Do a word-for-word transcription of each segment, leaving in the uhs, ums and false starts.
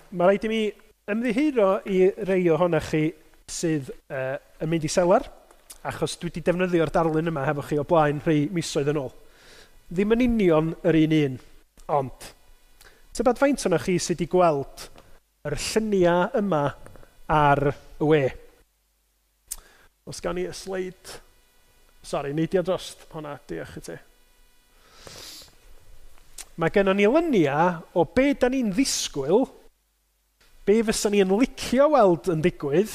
Mae rhaid i mi ymddiheuro i rei ohonoch chi sydd uh, yn mynd i selar, achos dwi wedi defnyddio'r darlun yma hefo chi o blaen rhai misoedd yn ôl. Ddim yn union yr un un, ond tybed faint ohonoch chi sydd wedi gweld yr lluniau yma ar y we? Os gawn ni y sleid. Sori, neidio drost hwnna, diolch i ti. Mae gennon ni luniau o be da ni'n ddisgwyl, be fysa ni yn licio weld yn digwydd,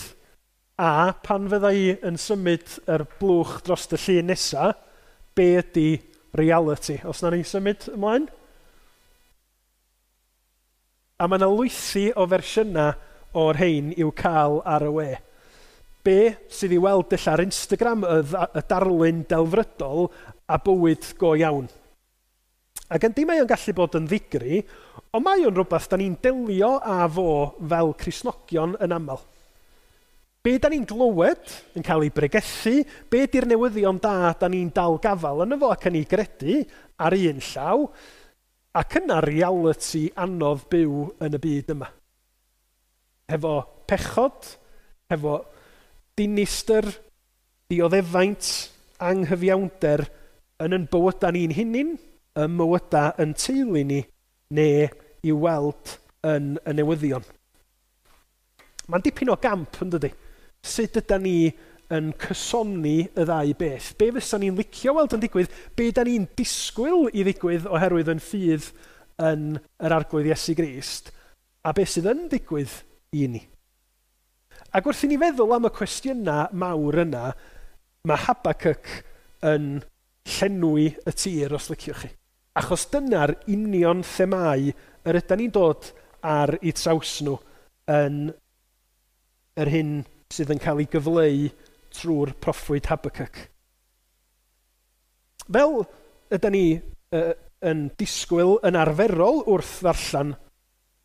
a pan fydda i yn symud yr blwch dros y llun nesa, be ydy reality. Os na ni symud ymlaen? A mae yna lwythi o fersiynau o'r rhain i'w cael ar y we. Be sydd i weld ella ar Instagram, y, y darlun delfrydol a bywyd go iawn. Ac yndi, mae o'n gallu bod yn ddigri, ond mae o'n rhywbeth da ni'n delio â fo fel Cristnogion yn aml. Be da ni'n glywed yn cael ei bregethu, be di'r newyddion da da ni'n dal gafal yn fo ac yn ei gredu ar un llaw, ac yna reality anodd byw yn y byd yma. Hefo pechod, hefo dinistr, dioddefaint, anghyfiawnder yn yn bywydau ni'n hunin, ym mywydau yn teulu ni, neu i'w weld yn y newyddion. Mae'n dipyn o gamp, yn dydy? Sut ydy ni yn cysoni y ddau beth? Be fysa ni'n licio weld yn digwydd? Be da ni'n disgwyl i ddigwydd oherwydd yn ffydd yn yr Arglwydd Iesu Grist? A be sydd yn digwydd i ni? Ac wrth i ni feddwl am y cwestiynau mawr yna, mae Habakkuk yn llenwi y tir, os liciwch chi. Achos dyna'r union themâu yr ydan ni'n dod ar eu traws nhw yn yr hyn sydd yn cael ei gyfleu trwy'r proffwyd Habakkuk. Fel ydan ni uh, yn disgwyl yn arferol wrth ddarllen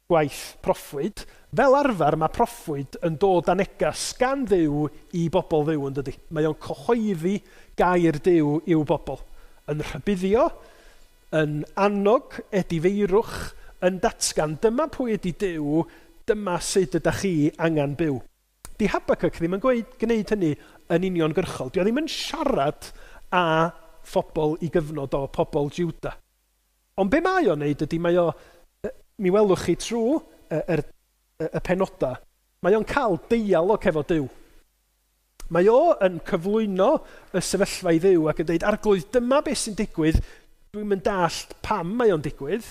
gwaith proffwyd, fel arfer mae proffwyd yn dod â negas gan Dduw i bobl Dduw, yn dydy. Mae o'n cyhoeddi gair Duw i'w bobl. Yn rhybuddio, yn annog edifeirwch, yn datgan dyma pwy ydy Duw, dyma sut ydych chi angen byw. Di Habakkuk ddim yn gweud, gwneud hynny yn uniongyrchol. Di o ddim yn siarad â phobl i gyfnod o pobl Juda. Ond be mae o'n neud ydy, mae o, mi welwch chi trwy y, y, y penoda, mae o'n cael deialog efo Duw. Mae o yn cyflwyno y sefyllfa i Dduw ac yn dweud, Arglwydd, dyma beth sy'n digwydd, dwi'm yn dallt pam mae o'n digwydd.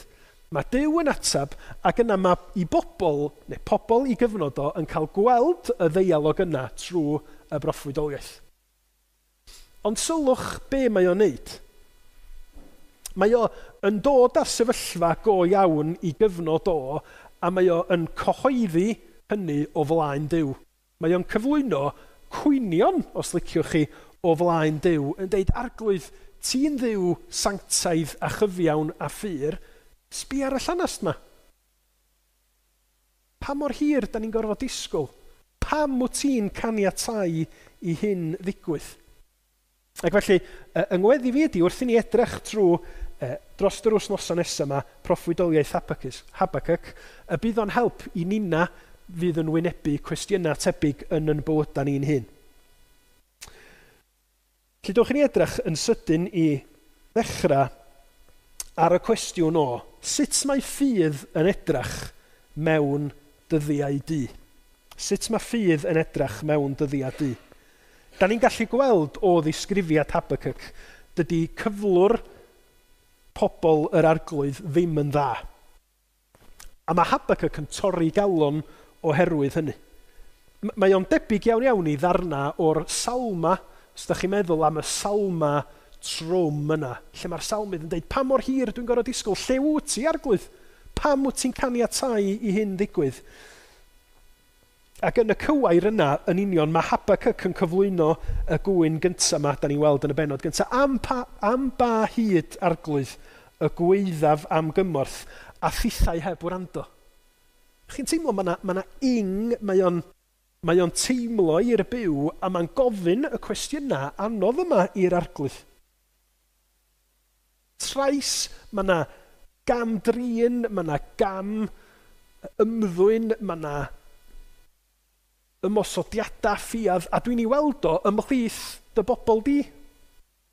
Mae Duw yn atab, ac yna mae i bobl, neu pobl i gyfnod o, yn cael gweld y ddeialog yna trwy y broffwydoliaeth. Ond sylwch be mae o'n neud. Mae o yn dod â'r sefyllfa go iawn i gyfnod o, a mae o yn cyhoeddi hynny o flaen Duw. Mae o'n cyflwyno cwynion, os liciwch chi, o flaen Duw, yn deud, Arglwydd, ti'n Dduw sanctaidd a chyfiawn a ffyr, sbia ar y llanast ma. Pa mor hir da ni'n gorfod disgwyl? Pam wyt ti'n caniatáu i hyn ddigwydd? Ac felly, yng ngweddi fi ydy, wrth i ni edrych trwy dros yr wythnosau nesaf yma, proffwydoliaeth Habakkuk, y bydd o'n help i nina fydd yn wynebu cwestiynau tebyg yn yn bywydau ni'n hun. Felly, dewch i ni edrych yn sydyn i ddechrau ar y cwestiwn o sut mae ffydd yn edrych mewn dyddiau du? Sut mae ffydd yn edrych mewn dyddiau du? Da ni'n gallu gweld o ddisgrifiad Habakkuk, dydy cyflwr pobl yr Arglwydd ddim yn dda. A mae Habakkuk yn torri galon oherwydd hynny. Mae o'n debyg iawn iawn i ddarna o'r salma, os da chi'n meddwl am y salma trwm yna, lle mae'r salmydd yn dweud, pa mor hir dwi'n gorfod disgwyl, lle wyt ti, Arglwydd? Pam wyt ti'n caniatáu i hyn ddigwydd? Ac yn y cywair yna, yn union, mae Habakkuk yn cyflwyno y gwyn gyntaf yma, da ni'n weld yn y bennod gyntaf, am, pa, am ba hyd, Arglwydd, y gwaeddaf am gymorth, a thithau heb wrando. Chi'n teimlo, mae yna ma na ing, mae o'n mae o'n teimlo i'r byw, a mae'n gofyn y cwestiynau anodd yma i'r Arglwydd. Trais, mae yna gam drin, mae yna gam ymddwyn, mae yna ymosodiadau ffiaidd, a dwi'n ei weld o ymhlith dy bobl di.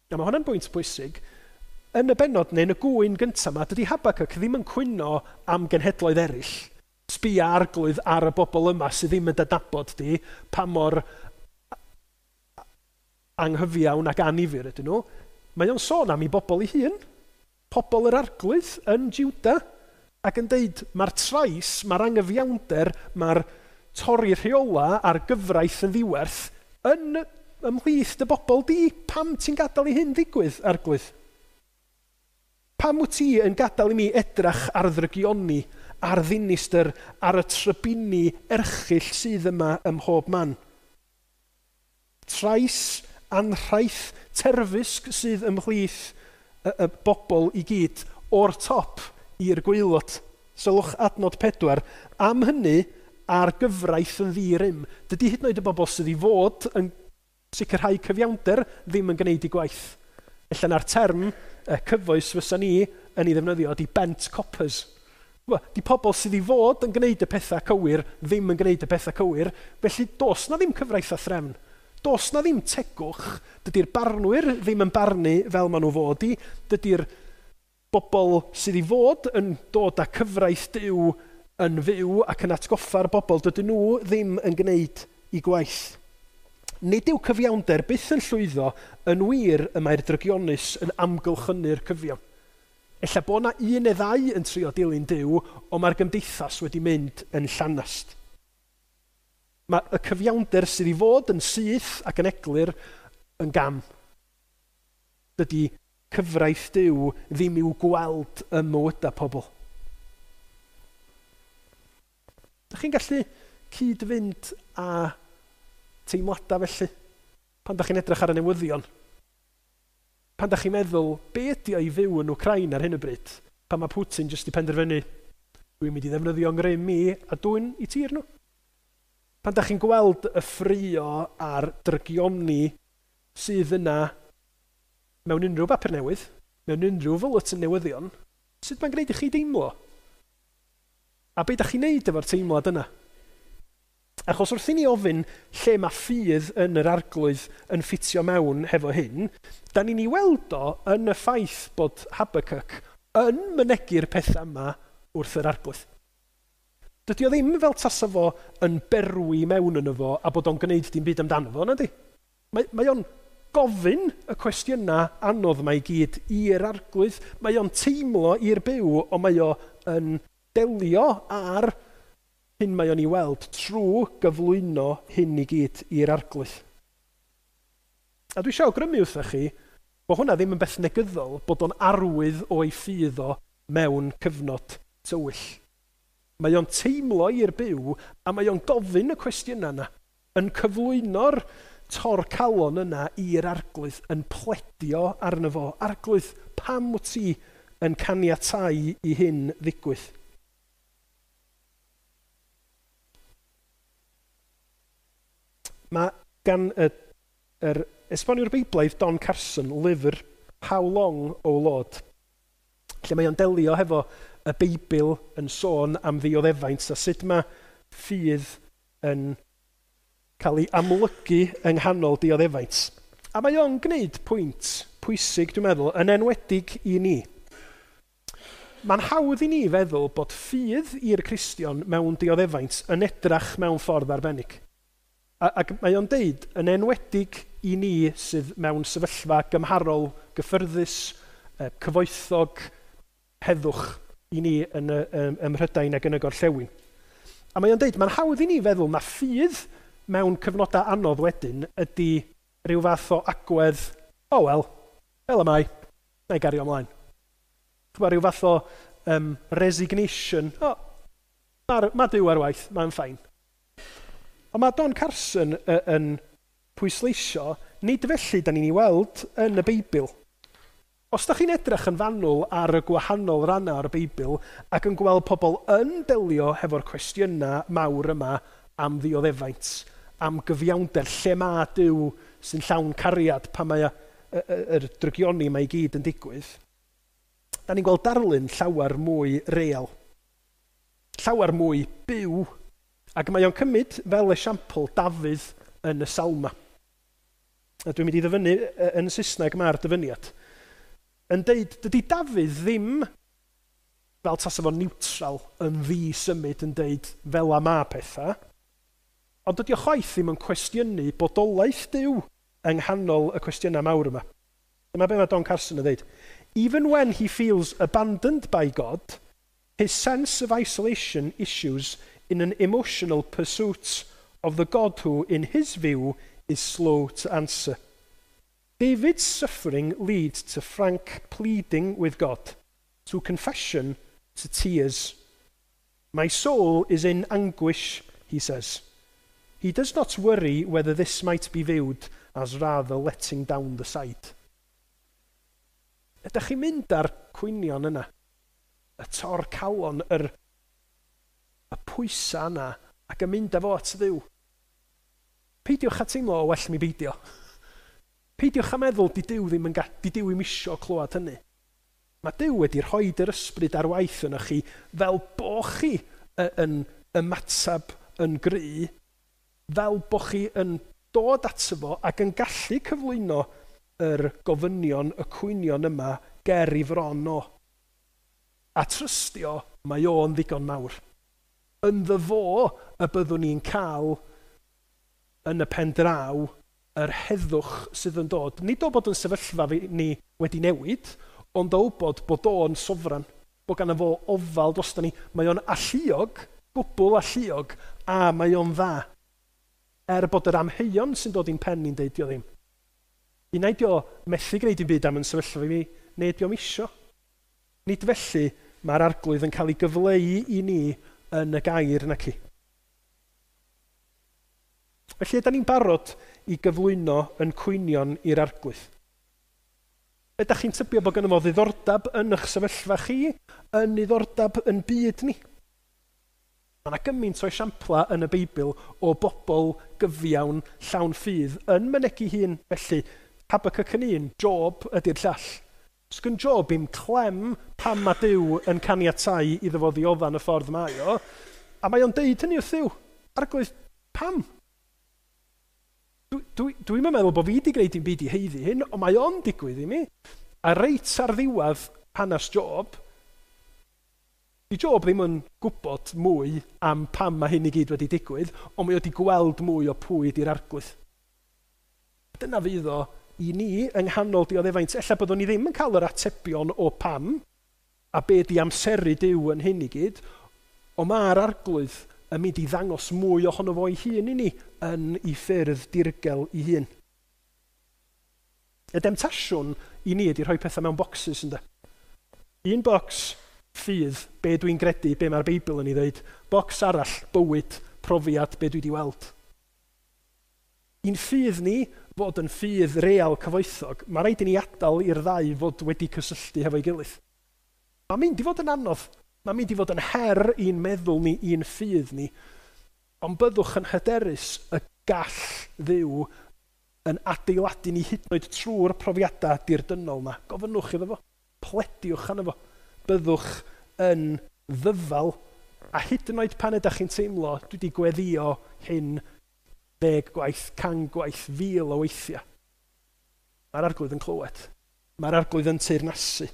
A mae hwnna'n bwynt bwysig. Yn y bennod neu yn y gŵyn gyntaf yma, dydy Habacuc ddim yn cwyno am genhedloedd eraill. Sbia Arglwydd ar y bobl yma sydd ddim yn dadnabod di, pa mor anghyfiawn ac annifyr ydyn nhw. Mae o'n sôn am ei bobl ei hun, pobl yr Arglwydd yn Juda, ac yn deud mae'r trais, mae'r anghyfiawnder, mae'r torri rheola a'r gyfraith yn ddiwerth yn ymhlith dy bobl di. Pam ti'n gadael i hyn ddigwydd, Arglwydd? Pam wyt ti yn gadael i mi edrach ar ddrygioni, ar ddinistr, ar y trybini erchyll sydd yma ym mhob man? Trais, anrhaith, terfysg sydd ymhlith y, y bobl i gyd, o'r top i'r gwaelod. Sylwch adnod pedwar. Am hynny, a'r gyfraith yn ddi-rym. Dydy hyd yn oed y bobl sydd i fod yn sicrhau cyfiawnder ddim yn gwneud eu gwaith. Ella na'r term uh, cyfoes fysa ni yn ei ddefnyddio ydy bent coppers. Di pobl sydd i fod yn gwneud y pethau cywir ddim yn gwneud y pethau cywir, felly does na ddim cyfraith a threfn. Does na ddim tegwch, dydy'r barnwyr ddim yn barnu fel maen nhw fod i, dydy'r bobl sydd i fod yn dod â cyfraith Duw yn fyw ac yn atgoffa'r bobl, dydyn nhw ddim yn gwneud eu gwaith. Nid yw cyfiawnder byth yn llwyddo, yn wir y mae'r drygionus yn amgylchynu'r cyfiawn. Ella bod na un neu ddau yn trio dilyn Duw, ond mae'r gymdeithas wedi mynd yn llanast. Mae y cyfiawnder sydd i fod yn syth ac yn eglur yn gam. Dydy cyfraith Duw ddim i'w gweld ym mywydau pobl. Dych chi'n gallu cyd-fynd â teimladau felly pan dach chi'n edrych ar y newyddion? Pan dach chi'n meddwl, be ydy o i fyw yn Wcrain ar hyn o bryd? Pan mae Putin jyst i penderfynu, dwi'n mynd i ddefnyddio 'ngrym i a dwyn i tir nhw. Pan dach chi'n gweld y ffrio a'r drygioni sydd yna mewn unrhyw bapur newydd, mewn unrhyw fwletin newyddion, sut mae'n gwneud i chi deimlo? A be dach chi'n neud efo'r teimlad yna? Achos wrth i ni ofyn lle mae ffydd yn yr Arglwydd yn ffitio mewn hefo hyn, da ni'n ei weld o yn y ffaith bod Habacuc yn mynegi'r pethau yma wrth yr Arglwydd. Dydy o ddim fel tasa fo yn berwi mewn yno fo a bod o'n gwneud dim byd amdano fo, nadi? Mae, mae o'n gofyn y cwestiynau anodd yma i gyd i'r Arglwydd. Mae o'n teimlo i'r byw, ond mae o yn delio ar hyn mae o'n ei weld trwy gyflwyno hyn i gyd i'r Arglwydd. A dwi eisiau awgrymu wrthych chi bod hwnna ddim yn beth negyddol, bod o'n arwydd o'i ffydd o mewn cyfnod tywyll. Mae o'n teimlo i'r byw a mae o'n gofyn y cwestiynau yna, yn cyflwyno'r tor calon yna i'r Arglwydd, yn pledio arno fo. Arglwydd, pam wyt ti yn caniatáu i hyn ddigwydd? Mae gan y, yr esboniwr Beiblaidd Don Carson lyfr How Long, O Lord, lle mae o'n delio hefo y Beibl yn sôn am ddioddefaint a sut mae ffydd yn cael ei amlygu yng nghanol dioddefaint. A mae o'n gwneud pwynt pwysig, dwi'n meddwl, yn enwedig i ni. Mae'n hawdd i ni feddwl bod ffydd i'r Cristion mewn dioddefaint yn edrach mewn ffordd arbennig. A, ac mae o'n deud, yn enwedig i ni sydd mewn sefyllfa gymharol gyffyrddus, cyfoethog, heddwch i ni yn y, ym, ym Mhrydain ac yn y gorllewin. A mae o'n deud, mae'n hawdd i ni feddwl na ffydd mewn cyfnodau anodd wedyn ydy rhyw fath o agwedd, oh well, fel y mae, na i gario ymlaen. Ch'mod, rhyw fath o um, resignation, oh, mae ma Duw ar waith, mae'n fine. Ond mae Don Carson yn pwysleisio, nid felly da ni'n ei weld yn y Beibl. Os da chi'n edrych yn fanwl ar y gwahanol rannau o'r Beibl ac yn gweld pobl yn delio hefo'r cwestiynau mawr yma am ddioddefaint, am gyfiawnder, lle mae Duw sy'n llawn cariad pan mae yr drygioni mae i gyd yn digwydd, da ni'n gweld darlun llawer mwy real, llawer mwy byw, ac mae o'n cymryd fel esiampl Dafydd yn y Salma. A dwi'n mynd i ddyfynnu yn Saesneg mae'r dyfyniad. Yn deud, dydy Dafydd ddim fel tasa fo'n neutral yn ddi-symud yn deud fel a ma pethau, ond dydy o chwaith ddim yn cwestiynu bodolaeth Duw yng nghanol y cwestiynau mawr yma. Dyma be mae Don Carson yn dweud. Even when he feels abandoned by God, his sense of isolation issues in an emotional pursuit of the God who, in his view, is slow to answer. David's suffering leads to frank pleading with God, to confession, to tears. My soul is in anguish, he says. He does not worry whether this might be viewed as rather letting down the side. Ydych chi'n mynd ar cwynion yna? Y tor calon, yr, y pwysa yna, ac yn mynd â fo at Dduw. Peidiwch â teimlo o well mi beidio. Peidiwch â meddwl di Duw ddim yn ga, di Duw ddim isio clywed hynny. Mae Duw wedi rhoi yr ysbryd ar waith yno chi fel bo chi yn ymatab yn gry, fel bo chi yn dod ato fo ac yn gallu cyflwyno yr gofynion, y cwynion yma ger i fron o. A trystio, mae o'n ddigon mawr. Ynddo fo y byddwn ni'n cael yn y pen draw yr heddwch sydd yn dod. Nid o bod yn sefyllfa ni wedi newid, ond o wybod bod o'n sofran, bod gan fo ofal drosta ni. Mae o'n alluog, gwbl alluog, a mae o'n dda. Er bod yr amheuon sy'n dod i'n pen ni'n deud dio ddim. Unai dio methu gwneud dim byd am yn sefyllfa fi, neu dio'm isio. Nid felly mae'r arglwydd yn cael ei gyfleu i ni yn y gair naci. Felly, ydy ni'n barod i gyflwyno yn cwynion i'r arglwydd? Ydych chi'n tybio bod gynno fo ddiddordeb yn eich sefyllfa chi, yn ddiddordeb yn byd ni? Mae yna gymaint o esiampla yn y Beibl o bobl gyfiawn llawn ffydd yn mynegi hun. Felly, Habakkuk yn un, Job ydy'r llall. Sgyn Job i'm clem pam mae Duw yn caniatáu iddo fo ddiodda'n y ffordd mae o, a mae o'n deud hynny wrth Dduw. Arglwydd, pam? Dwi'n dwi, dwi meddwl bod fi wedi gwneud dim byd i haeddu hyn, ond mae o'n digwydd i mi. A reit ar ddiwedd hanes Job, di Job ddim yn gwybod mwy am pam mae hyn i gyd wedi digwydd, ond mae o wedi gweld mwy o pwy di'r arglwydd. Dyna fydd o i ni yng nghanol dioddefaint. Ella byddwn ni ddim yn cael yr atebion o pam, a be di amseru Duw yn hyn i gyd, ond mae'r arglwydd yn mynd i ddangos mwy ohono fo ei hun i ni yn ei ffyrdd dirgel ei hun. Y demtasiwn i ni ydy rhoi pethau mewn boxes, ynde. Un bocs, ffydd, be dwi'n gredu, be mae'r Beibl yn ei ddeud. Bocs arall, bywyd, profiad, be dwi wedi weld. I'n ffydd ni fod yn ffydd real cyfoethog, mae rhaid i ni adael i'r ddau fod wedi cysylltu hefo'i gilydd. Mae'n mynd i fod yn anodd. Mae'n mynd i fod yn her i'n meddwl ni, i'n ffydd ni. Ond byddwch yn hyderus y gall Dduw yn adeiladu ni hyd yn oed trwy'r profiadau dirdynnol yma. Gofynnwch iddo fo, plediwch arno fo. Byddwch yn ddyfal, a hyd yn oed pan ydych chi'n teimlo, dwi wedi gweddio hyn ddeg gwaith, can gwaith, fil o weithiau. Mae'r arglwydd yn clywed. Mae'r arglwydd yn teyrnasu.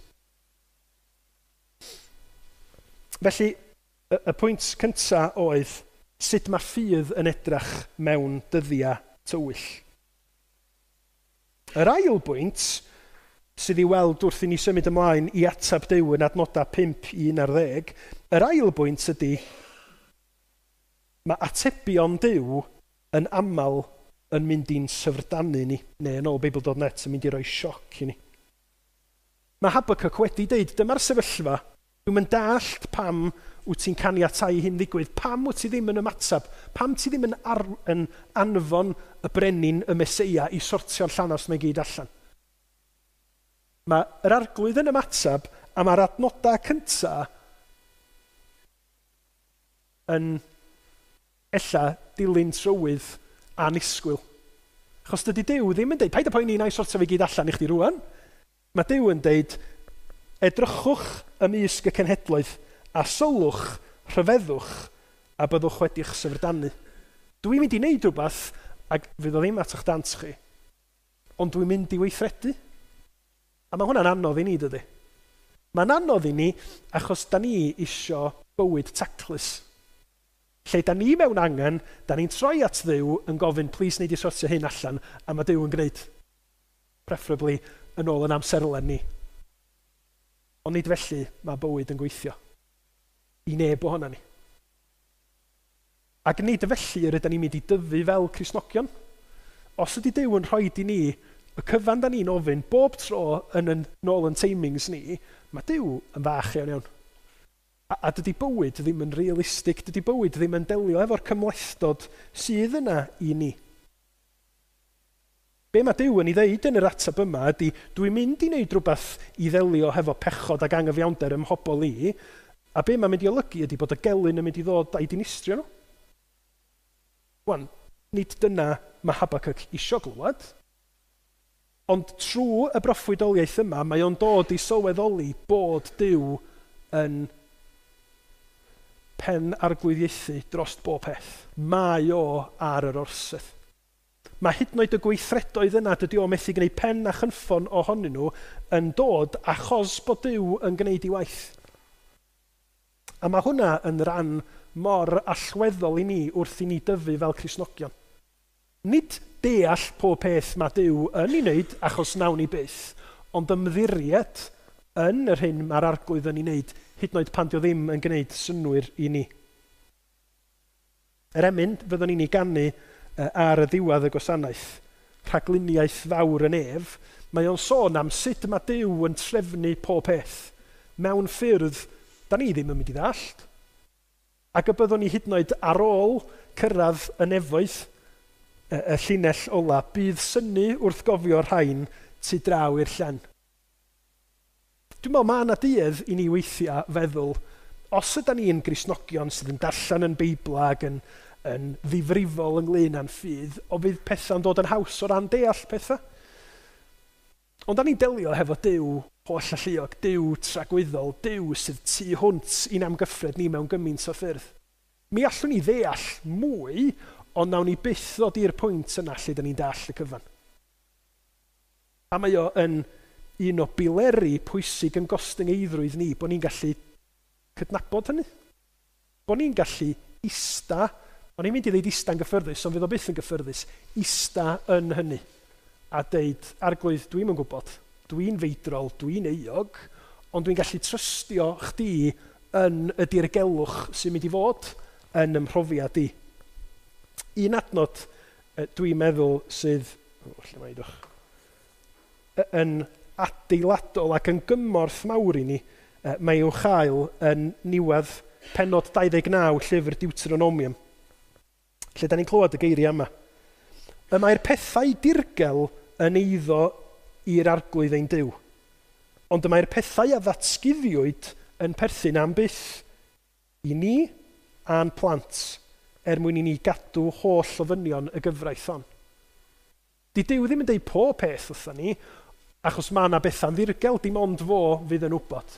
Felly, y, y pwynt cyntaf oedd sut mae ffydd yn edrach mewn dyddiau tywyll. Yr ail bwynt sydd i weld wrth i ni symud ymlaen i atab Duw yn adnodau pump i un ar ddeg, yr ail bwynt ydy mae atebion Duw yn aml yn mynd i'n syfrdanu ni, neu yn ôl Beibl dot net yn mynd i roi sioc i ni. Mae Habakkuk wedi deud, dyma'r sefyllfa, dwi'm yn dallt pam wyt ti'n caniatáu hyn ddigwydd, pam wyt ti ddim yn ymatab, pam ti ddim yn, ar, yn anfon y brenin, y Meseia, i sortio'r llanast mae gyd allan. Mae yr arglwydd yn ymatab, a mae'r adnodau cyntaf yn ella dilyn trywydd anisgwyl. Achos dydy Duw ddim yn deud, paid â poeni, na i sortio fe gyd allan i chdi rwan. Mae Duw yn deud, edrychwch ymysg y cenhedloedd a sylwch Rhyfeddwch a byddwch wedi'ch syfrdanu. Dwi'n mynd i wneud rhywbeth ac fydd o ddim at eich dant chi, ond dwi'n mynd i weithredu. A mae hwnna'n anodd i ni, dydy? Mae'n anodd i ni achos da ni isio bywyd taclus. Lle da ni mewn angen, da ni'n troi at Dduw yn gofyn, plis wneud i sortio hyn allan, a mae Duw yn gwneud, preferably, yn ôl yn amserlen ni. Ond nid felly mae bywyd yn gweithio. I neb ohono ni. Ac nid felly yr ydyn ni'n mynd i dyfu fel Cristnogion. Os ydy Duw yn rhoi i ni y cyfan da ni'n ofyn bob tro yn yn nôl yn timings ni, mae Duw yn fach iawn iawn. A, a dydy bywyd ddim yn realistig, dydy bywyd ddim yn delio efo'r cymhlethdod sydd yna i ni. Be mae Duw yn ei ddeud yn yr ateb yma ydy, dwi'n mynd i wneud rhywbeth i ddelio hefo pechod ac angyfiawnder ym mhobol i, a be mae'n mynd i olygu ydy bod y gelyn yn mynd i ddod a'i dinistrio nhw. Wan, nid dyna mae Habakkuk isio glywed, ond trwy y broffwydoliaeth yma, mae o'n dod i sylweddoli bod Duw yn pen arglwyddiaethu dros bob peth. Mae o ar yr orsedd. Mae hyd yn oed y gweithredoedd yna, dydy o methu gwneud pen a chynffon ohonyn nhw, yn dod achos bod Duw yn gwneud ei waith. A mae hwnna yn ran mor allweddol i ni wrth i ni dyfu fel Cristnogion. Nid deall pob peth mae Duw yn ei wneud achos nawn ni byth, ond ymddiried yn yr hyn mae'r arglwydd yn ei wneud, hyd yn oed pan dio ddim yn gwneud synnwyr i ni. Yr emyn fyddwn ni'n ei ganu ar y ddiwedd y gwasanaeth, rhagluniaeth fawr yn ef, mae o'n sôn am sut mae Duw yn trefnu pob peth mewn ffyrdd da ni ddim yn mynd i ddallt. Ac y byddwn ni hyd yn oed ar ôl cyrraedd y nefoedd, y, y llinell ola, bydd synnu wrth gofio'r rhain tu draw i'r llen. Dwi'n meddwl mae yna duedd i ni weithiau feddwl, os yda ni'n Gristnogion sydd yn darllen yn Beibl ac yn, yn ddifrifol ynglyn â'n ffydd, o fydd pethau'n dod yn haws o ran deall pethau. Ond da ni'n delio hefo Duw holl alluog, Duw tragwyddol, Duw sydd tu hwnt i'n amgyffred ni mewn gymaint o ffyrdd. Mi allwn ni ddeall mwy, ond nawn ni byth ddod i'r pwynt yna lle da ni'n dall y cyfan. A mae o yn un o bileri pwysig yn gostyngeiddrwydd ni, bod ni'n gallu cydnabod hynny. Bod ni'n gallu ista, o'n i'n mynd i ddeud ista'n gyffyrddus, ond fydd o byth yn gyffyrddus, ista yn hynny. A deud, arglwydd, dwi'm yn gwybod, dwi'n feidrol, dwi'n euog, ond dwi'n gallu trystio chdi yn y dirgelwch sy'n mynd i fod yn ymhrofiad i. Un adnod dwi'n meddwl sydd, o, lle mae dwch, yn adeiladol ac yn gymorth mawr i ni, mae i'w chael yn niwedd pennod dau ddeg naw llyfr Deuteronomium, lle da ni'n clywed y geiriau yma. Y mae'r pethau dirgel yn eiddo i'r arglwydd ein Duw, ond y mae'r pethau a ddatguddiwyd yn perthyn am byth i ni a'n plant, er mwyn i ni gadw holl ofynion y gyfraith hon. Di Duw ddim yn deud pob peth wrthon ni, achos mae yna bethau'n ddirgel, dim ond fo fydd yn wybod,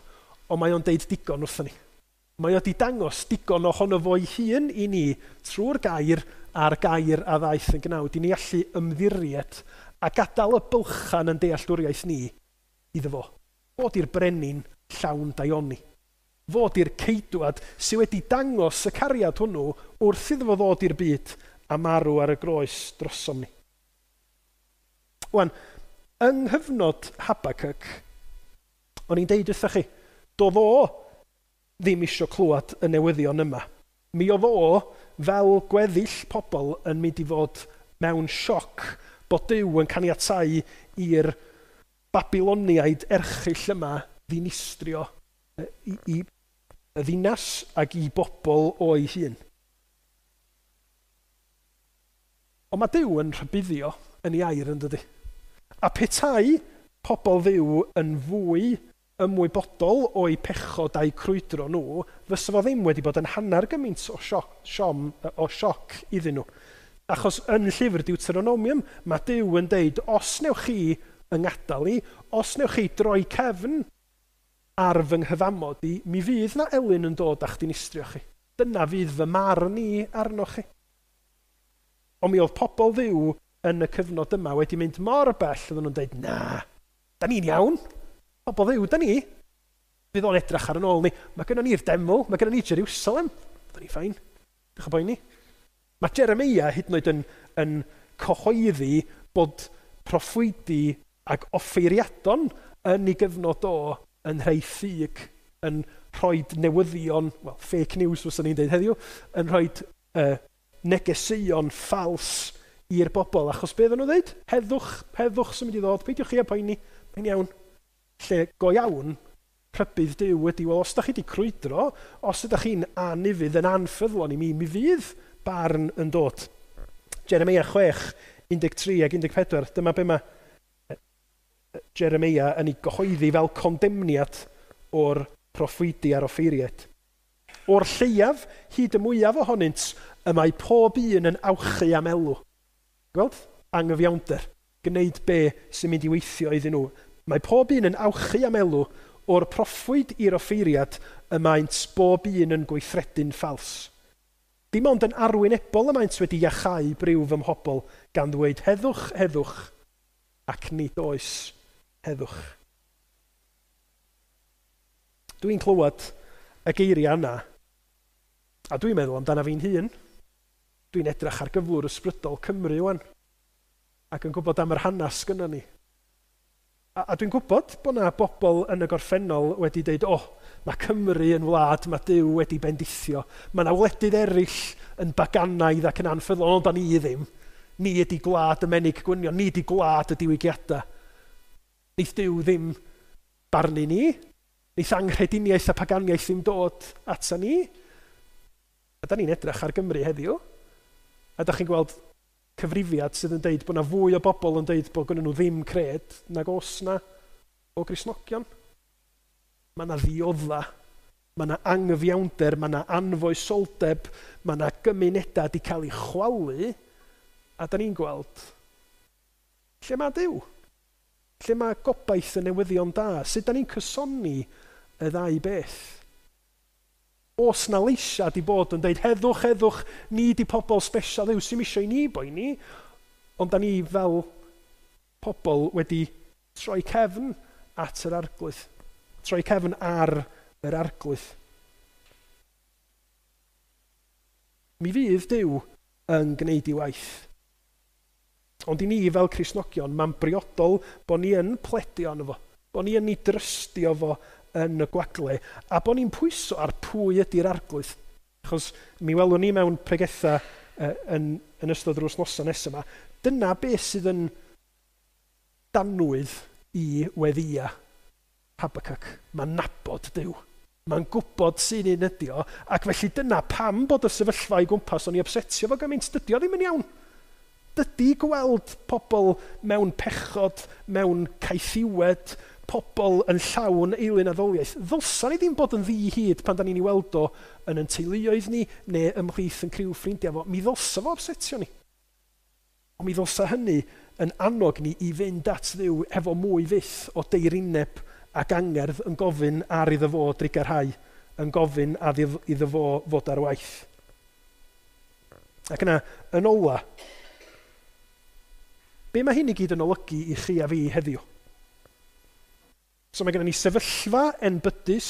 ond mae o'n deud digon wrthon ni. Mae o di dangos digon ohono fo'i hun i ni trwy'r gair a'r gair a ddaeth yn gnawd, i ni allu ymddiried a gadael y bylchan yn dealltwriaeth ni iddo fo. Fod i'r brenin llawn daioni. Fod i'r ceidwad sydd wedi dangos y cariad hwnnw wrth iddo fo ddod i'r byd a marw ar y groes drosom ni. Wan, yng nghyfnod Habakkuk, o'n i'n deud wrthych chi, doedd o ddim isio clywed y newyddion yma. Mi oedd o, fel gweddill pobl, yn mynd i fod mewn sioc bod Duw yn caniatáu i'r Babiloniaid erchyll yma ddinistrio i, i y ddinas ac i bobl o'i hun. Ond mae Duw yn rhybuddio yn ei air yn dydy. A petai pobl Dduw yn fwy ymwybodol o'i pechod a'i crwydro nhw, fysa fo ddim wedi bod yn hanner gymaint o sioc, siom, o sioc iddyn nhw. Achos yn llyfr Deuteronomium, mae Duw yn deud, os newch chi yng ngadael i, os newch chi droi cefn ar fy nghyfamod i, mi fydd na elyn yn dod a'ch dinistrio chi. Dyna fydd fy marn i arnoch chi. Ond mi oedd pobl Dduw yn y cyfnod yma wedi mynd mor bell, oedden nhw'n dweud, na, da ni'n iawn. Pobl Dduw, da ni. Fydd o'n edrych ar yn ôl ni. Mae gynnon ni'r deml, mae gynnon ni Jerusalem. Da ni fine. Dych chi'n poeni. Mae Jeremia hyd yn oed yn, yn cyhoeddi bod proffwydi ac offeiriadon yn ei gyfnod o yn rhai ffug, yn rhoi newyddion, well, fake news fyswn ni'n dweud heddiw, yn rhoi uh, negeseuon ffals i'r bobl. Achos be oedden nhw'n dweud? Heddwch, heddwch sy'n mynd i ddod, peidiwch chi â poeni, mae'n iawn. Lle go iawn, rhybudd Duw ydy, wel, os da chi wedi crwydro, os ydych chi'n anufudd, yn anffyddlon i mi, mi fydd barn yn dod. Jeremia chwech, un deg tri ac un deg pedwar, dyma be mae Jeremia yn ei gyhoeddi fel condemniad o'r proffwydi a'r offeiriaid. O'r lleiaf, hyd y mwyaf ohonynt, y mae pob un yn awchu am elw. Gweld? Anghyfiawnder. Gwneud be sy'n mynd i weithio iddyn nhw. Mae pob un yn awchu am elw, o'r proffwyd i'r offeiriad, y maent bob un yn gweithredu'n ffals. Dim ond yn arwynebol y maent wedi iachau briw fy mhobl, gan ddweud heddwch, heddwch, ac nid oes heddwch. Dwi'n clywed y geiriau yna, a dwi'n meddwl amdana fi'n hun. Dwi'n edrych ar gyflwr ysbrydol Cymru wan, ac yn gwybod am yr hanes gynnon ni. A, a dwi'n gwybod bod yna bobl yn y gorffennol wedi dweud, o, oh, mae Cymru yn wlad, mae Duw wedi bendithio. Mae yna wledydd eraill yn baganaidd ac yn anffyddlon, ond da ni ddim. Ni ydi gwlad y menig gwynion, ni ydi gwlad y diwygiadau. Neith Duw ddim barnu ni, neith anghrediniaeth a paganiaeth ddim dod ata ni. A da ni'n edrych ar Gymru heddiw, a da chi'n gweld cyfrifiad sydd yn deud bod yna fwy o bobl yn deud bod gynnon nhw ddim cred nag os na o Gristnogion. Mae yna ddiodda, mae yna anghyfiawnder, mae yna anfoesoldeb, mae yna gymunedau wedi cael eu chwalu, a da ni'n gweld lle mae Duw? Lle mae gobaith y newyddion da? Sut da ni'n cysoni y ddau beth? Os na leisia di bod yn deud heddwch, heddwch, ni di pobl special Dduw sy'n isio i ni boeni, ond da ni fel pobl wedi troi cefn at yr Arglwydd. Troi cefn ar yr Arglwydd. Mi fydd Duw yn gwneud ei waith. Ond i ni fel Cristnogion, mae'n briodol bod ni yn pledio arno fo, bod ni yn ei drystio fo yn y gwagle, a bod ni'n pwyso ar pwy ydy'r Arglwydd. Achos mi welwn ni mewn pregetha uh, yn, yn ystod yr wythnosau nesaf yma, dyna beth sydd yn danwydd i weddïa Habakkuk. Mae'n nabod Duw. Mae'n gwybod sy'n un ydi o, ac felly dyna pam bod y sefyllfa i gwmpas o'n i upsetio fo gymaint, dydy o ddim yn iawn. Dydy gweld pobl mewn pechod, mewn caethiwed, pobl yn llawn eilun addoliaeth. Ddylsa ni ddim bod yn ddi-hid pan da ni'n ei weld o yn yn teuluoedd ni neu ymhlith yn criw ffrindiau fo. Mi ddylsa fo upsetio ni. Ond mi ddylsa hynny yn annog ni i fynd at Dduw efo mwy fyth o deirineb ac angerdd yn gofyn ar iddo fo drugarhau, yn gofyn ar iddo fo fod ar waith. Ac yna, yn ola, be mae hyn i gyd yn olygu i chi a fi heddiw? So mae gennym ni sefyllfa enbydus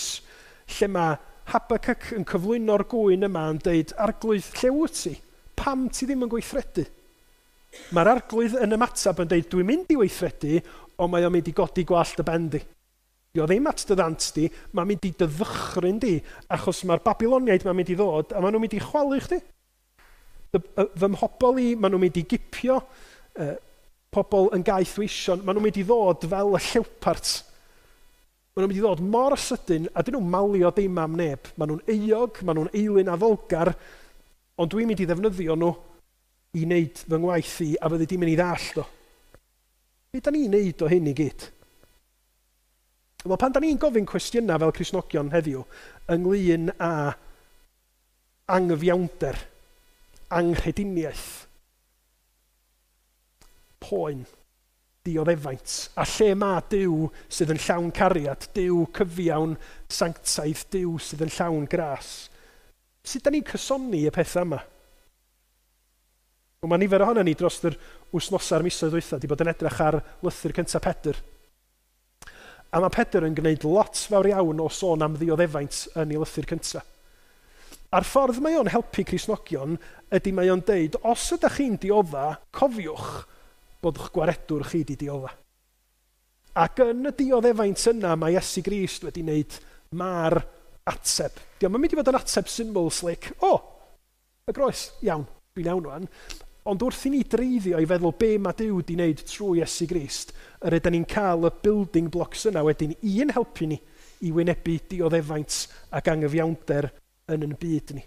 lle mae Habakkuk yn cyflwyno'r gŵyn yma yn deud, Arglwydd, lle wyt ti? Pam ti ddim yn gweithredu? Mae'r Arglwydd yn ymateb yn deud, dwi'n mynd i weithredu, ond mae o'n mynd i godi gwallt y ben di. Di o ddim at dy ddant di, mae'n mynd i dy ddychryn di, achos mae'r Babiloniaid mae'n mynd i ddod, a maen nhw'n mynd i chwalu chdi. Fy mhobl i, maen nhw'n mynd i gipio, uh, pobl yn gaethweision, maen nhw'n mynd i ddod fel y llewpart. Maen nhw'n mynd i ddod mor sydyn, a dyn nhw'n malio dim am neb. Maen nhw'n euog, maen nhw'n eilun addolgar, ond dwi'n mynd i ddefnyddio nhw i wneud fy ngwaith i, a fyddi di'n mynd i ddallt o. Be da ni'n neud o hyn i gyd? Wel, pan da ni'n gofyn cwestiynau fel Cristnogion heddiw, ynglyn â anghyfiawnder, anghrediniaeth, poen, dioddefaint, a lle mae Duw sydd yn llawn cariad, Duw cyfiawn, sanctaidd, Duw sydd yn llawn gras. Sut da ni'n cysoni y pethau yma? Wel, mae nifer ohono ni dros yr wythnosau'r misoedd dwytha wedi bod yn edrych ar lythyr cyntaf Pedr. A mae Pedr yn gwneud lot fawr iawn o sôn am ddioddefaint yn ei lythyr cyntaf. A'r ffordd mae o'n helpu Cristnogion ydy mae o'n deud, os ydych chi'n diodda, cofiwch bod eich gwaredwr chi wedi diodda. Ac yn y dioddefaint yna mae Iesu Grist wedi wneud ma'r ateb. Dio'm yn mynd i fod yn ateb syml slick, o, oh, y groes, iawn, dwi'n iawn rwan. Ond wrth i ni dreiddio i feddwl be mae Duw wedi wneud trwy Iesu Grist, yr ydyn ni'n cael y building blocks yna wedyn i'n helpu ni i wynebu dioddefaint ac angyfiawnder yn yn byd ni.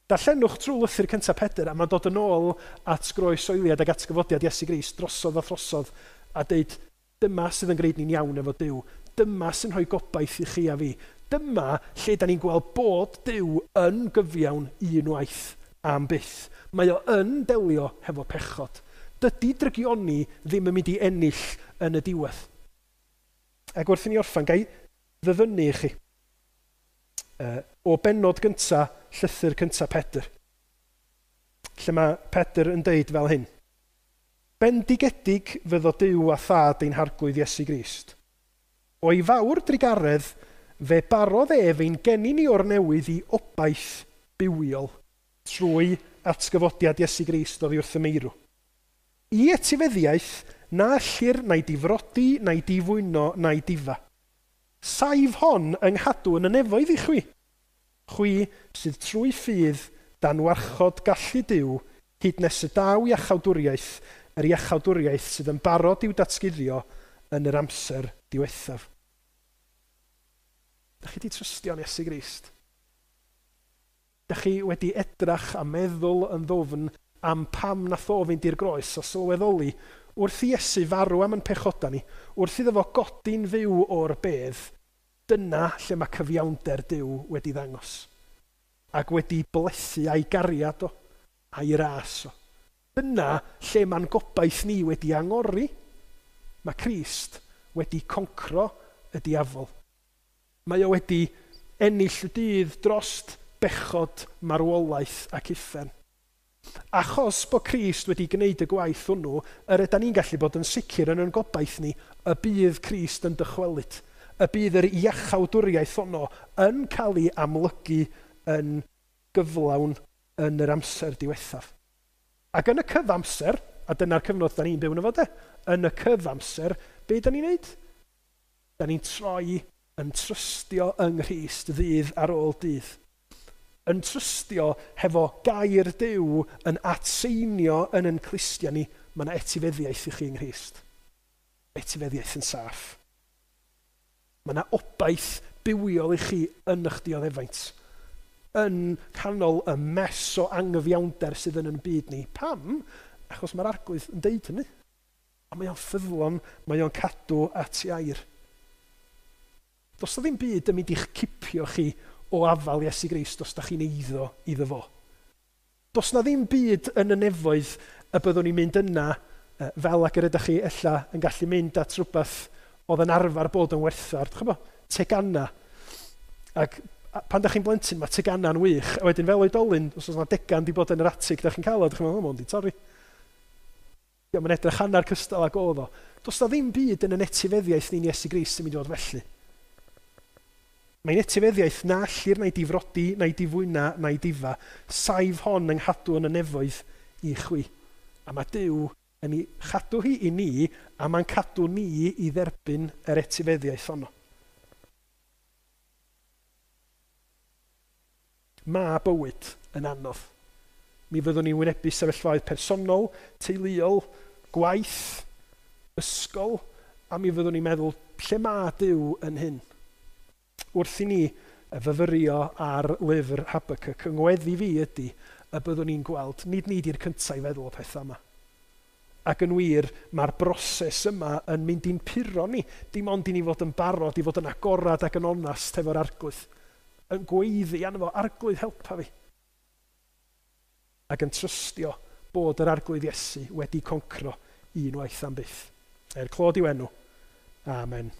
Darllenwch trwy lythyr cyntaf Pedr a mae'n dod yn ôl at groesoeliad ac atgyfodiad Iesu Grist drosodd a throsodd a deud dyma sydd yn gwneud ni'n iawn efo Duw. Dyma sy'n rhoi gobaith i chi a fi. Dyma lle da ni'n gweld bod Duw yn gyfiawn unwaith am byth. Mae o yn delio hefo pechod. Dydy drygioni ddim yn mynd i ennill yn y diwedd. Ac wrth i ni orffan, gai ddyfynnu i chi. Uh, o bennod gynta, llythyr cynta Pedr. Lle mae Pedr yn deud fel hyn. Bendigedig fyddo Duw a thad ein harglwydd Iesu Grist. O'i fawr drugaredd, fe barodd ef ein geni ni o'r newydd i obaith bywiol trwy atgyfodiad Iesu Grist oddi wrth y meirw. I etifeddiaeth, na ellir na'i difrodi, na'i difwyno, na'i difa. Saif hon yng nghadw yn y nefoedd i chwi. Chwi sydd trwy ffydd dan warchod gallu Duw, hyd nes y daw iachawdwriaeth, yr iachawdwriaeth sydd yn barod i'w datguddio yn yr amser diwethaf. Dach chi wedi trystio yn Iesu Grist? Dach chi wedi edrach a meddwl yn ddwfn am pam nath o fynd i'r groes a sylweddoli wrth i Iesu farw am yn pechoda ni, wrth iddo fo godi'n fyw o'r bedd, dyna lle mae cyfiawnder Duw wedi ddangos. Ac wedi blethu a'i gariad o, a'i ras o. Dyna lle mae'n gobaith ni wedi angori. Mae Crist wedi concro y diafol. Mae o wedi ennill y dydd drost bechod, marwolaeth ac uffern. Achos bod Crist wedi gwneud y gwaith hwnnw, yr ydan ni'n gallu bod yn sicr yn yn gobaith ni y bydd Crist yn dychwelyd, y bydd yr iachawdwriaeth honno yn cael ei amlygu yn gyflawn yn yr amser diwethaf. Ac yn y cyfamser, a dyna'r cyfnod da ni'n byw yn efo de, yn y cyfamser, be da ni'n neud? Da ni'n troi yn trystio yng Nghrist ddydd ar ôl dydd. Yn trystio hefo gair Duw yn atseinio yn yn clustia ni, mae yna etifeddiaeth i chi yng Nghrist. Etifeddiaeth yn saff. Mae yna obaith bywiol i chi yn eich dioddefaint. Yn canol y mess o angyfiawnder sydd yn yn byd ni. Pam? Achos mae'r Arglwydd yn deud hynny. A mae o'n ffyddlon, mae o'n cadw at ei air. Does na ddim byd yn mynd i'ch cipio chi o afal Iesu Grist os da chi'n eiddo iddo fo. Does na ddim byd yn y nefoedd y byddwn ni'n mynd yna fel ag yr ydych chi ella yn gallu mynd at rhywbeth oedd yn arfer bod yn werthfawr. Dych chi'n tegana. Ac pan da chi'n blentyn, mae tegana'n wych. A wedyn fel oedolyn, os oes yna degan di bod yn yr atig, da chi'n cael o, dych chi'n meddwl, o, di torri. Ia, mae'n edrych hanner cystal ag oedd o. Does na ddim byd yn yn etifeddiaeth ni'n Iesu Grist sy'n mynd i fod felly. Mae'n etifeddiaeth na allir na'i difrodi, na'i difwyna, na'i difa. Saif hon yng nghadw yn y nefoedd i chwi. A mae Duw yn ei chadw hi i ni, a mae'n cadw ni i dderbyn yr etifeddiaeth honno. Mae bywyd yn anodd. Mi fyddwn ni'n wynebu sefyllfaoedd personol, teuluol, gwaith, ysgol, a mi fyddwn ni'n meddwl, lle mae Duw yn hyn? Wrth i ni fyfyrio ar lyfr Habakkuk, yng ngweddi fi ydy y byddwn ni'n gweld, nid ni di'r cyntaf i feddwl o pethau yma. Ac yn wir, mae'r broses yma yn mynd i'n puro ni. Dim ond i ni fod yn barod, i fod yn agorad ac yn onast hefo'r Arglwydd. Yn gweiddi arno fo, Arglwydd helpa fi. Ac yn trystio bod yr Arglwydd Iesu wedi concro unwaith am byth. Er clod i'w enw. Amen.